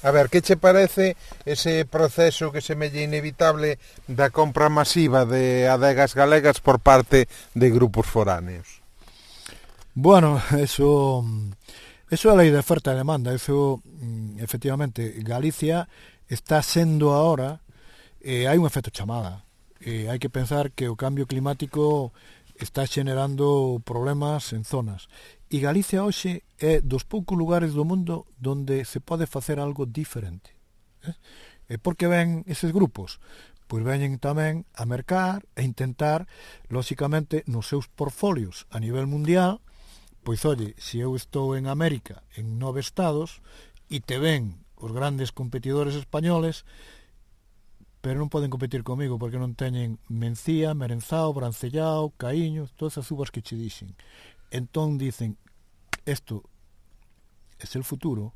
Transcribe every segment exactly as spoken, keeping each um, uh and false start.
A ver, que che parece ese proceso que semella inevitable da compra masiva de adegas galegas por parte de grupos foráneos? Bueno, eso eso é a lei de oferta e demanda. Eso, efectivamente, Galicia está sendo ahora, eh, hai un efecto chamada. Eh, hai que pensar que o cambio climático está xenerando problemas en zonas. E Galicia hoxe é dos poucos lugares do mundo donde se pode facer algo diferente. Eh? E por que ven eses grupos? Pois veñen tamén a mercar e intentar, lóxicamente, nos seus portfolios a nivel mundial, pois, oye, se eu estou en América, en nove estados, e te ven os grandes competidores españoles, pero non poden competir comigo porque non teñen Mencía, Merenzao, Brancellao, Caíño, todas as uvas que che dixen. Entón dicen, esto es el futuro,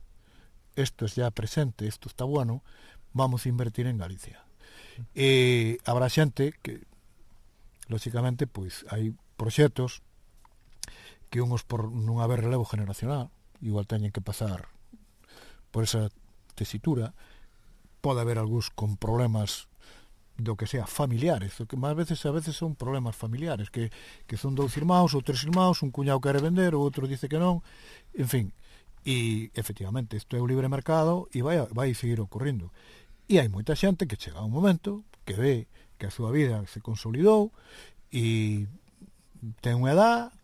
esto es ya presente, esto está bueno, vamos a invertir en Galicia. E habrá xente que, lóxicamente, pois hai proxectos que unhos por non haber relevo generacional, igual teñen que pasar por esa tesitura, pode haber algúns con problemas do que sea familiares, o que máis veces a veces son problemas familiares, que, que son dous irmãos ou tres irmãos, un cuñado quere vender, o outro dice que non, en fin, e efectivamente isto é o libre mercado e vai, vai seguir ocorrendo. E hai moita xente que chega a un momento que ve que a súa vida se consolidou e ten unha edad,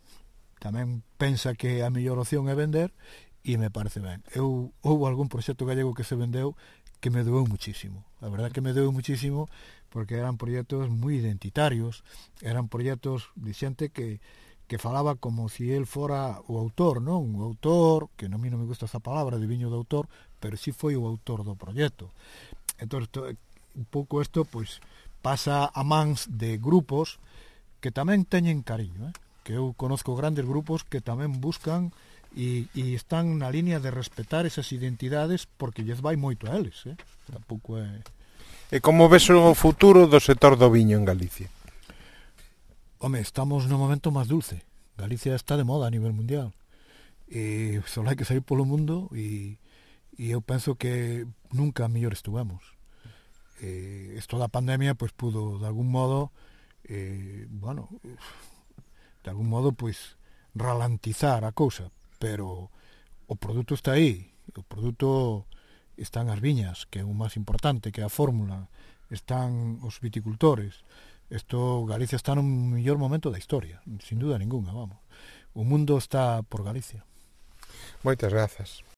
tamén pensa que a mellor opción é vender e me parece ben. Eu, houve algún proxecto gallego que se vendeu que me doeu muchísimo. A verdad que me doeu muchísimo porque eran proxectos moi identitarios, eran proxectos de xente que, que falaba como si él fora o autor, non? O autor, que non, a mí non me gusta esa palabra de viño de autor, pero si foi o autor do proxecto. Entón, un pouco isto, pois, pasa a mans de grupos que tamén teñen cariño, eh? Que eu conozco grandes grupos que tamén buscan e, e están na línea de respetar esas identidades porque lles vai moito a eles, eh? Tampouco é... E como ves o futuro do sector do viño en Galicia? Home, estamos no momento máis dulce. Galicia está de moda a nivel mundial. E só hai que sair polo mundo e, e eu penso que nunca mellor estuvemos. E isto da pandemia pois pudo de algún modo eh, bueno, de algún modo pois ralentizar a cousa, pero o produto está aí, o produto están as viñas, que é o máis importante, que é a fórmula, están os viticultores. Isto, Galicia está no mellor momento da historia, sin duda ninguna, vamos. O mundo está por Galicia. Moitas grazas.